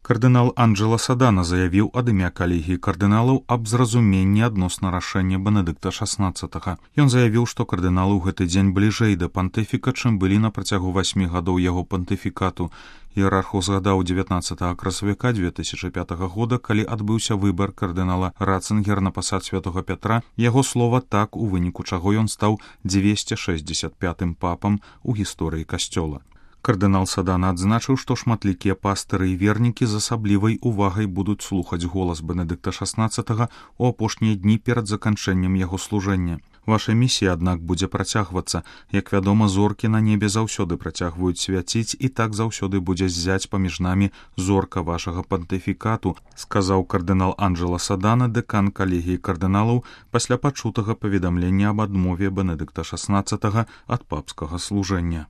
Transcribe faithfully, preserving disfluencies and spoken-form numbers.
Кардынал Анджела Садана заявіў ад імя калегіі кардыналаў аб зразуменні адносна рашэння Бенедыкта шаснаццатага. Ён заявіў, што кардыналы ў гэты дзень бліжэй да пантыфіка, чым былі на працягу васьмі гадоў яго пантыфікату. Іерарх узгадаў дзевятнаццатага красавіка дзве тысячы пятага года, калі адбыўся выбар кардынала Ратцынгера на пасад святога Пятра, яго слова так, у выніку чаго ён стаў дзвесце шэсцьдзесят пятым папам у гісторыі касцёла. Кардынал Садана адзначыў, што шматлікія пастыры і вернікі з асаблівай увагай будуць слухаць голас Бенедыкта шаснаццатага ў апошнія дні перад заканчэннем яго служэння. Ваша місія, аднак, будзе працягвацца. Як вядома, зоркі на небе заўсёды працягваюць свяціць, і так заўсёды будзе ззяць паміж намі зорка вашага пантыфікату, сказаў кардынал Анджела Садана, дэкан калегіі кардыналаў, пасля пачутага паведамлення аб адмове Бенедыкта шаснаццатага ад папскага служэння.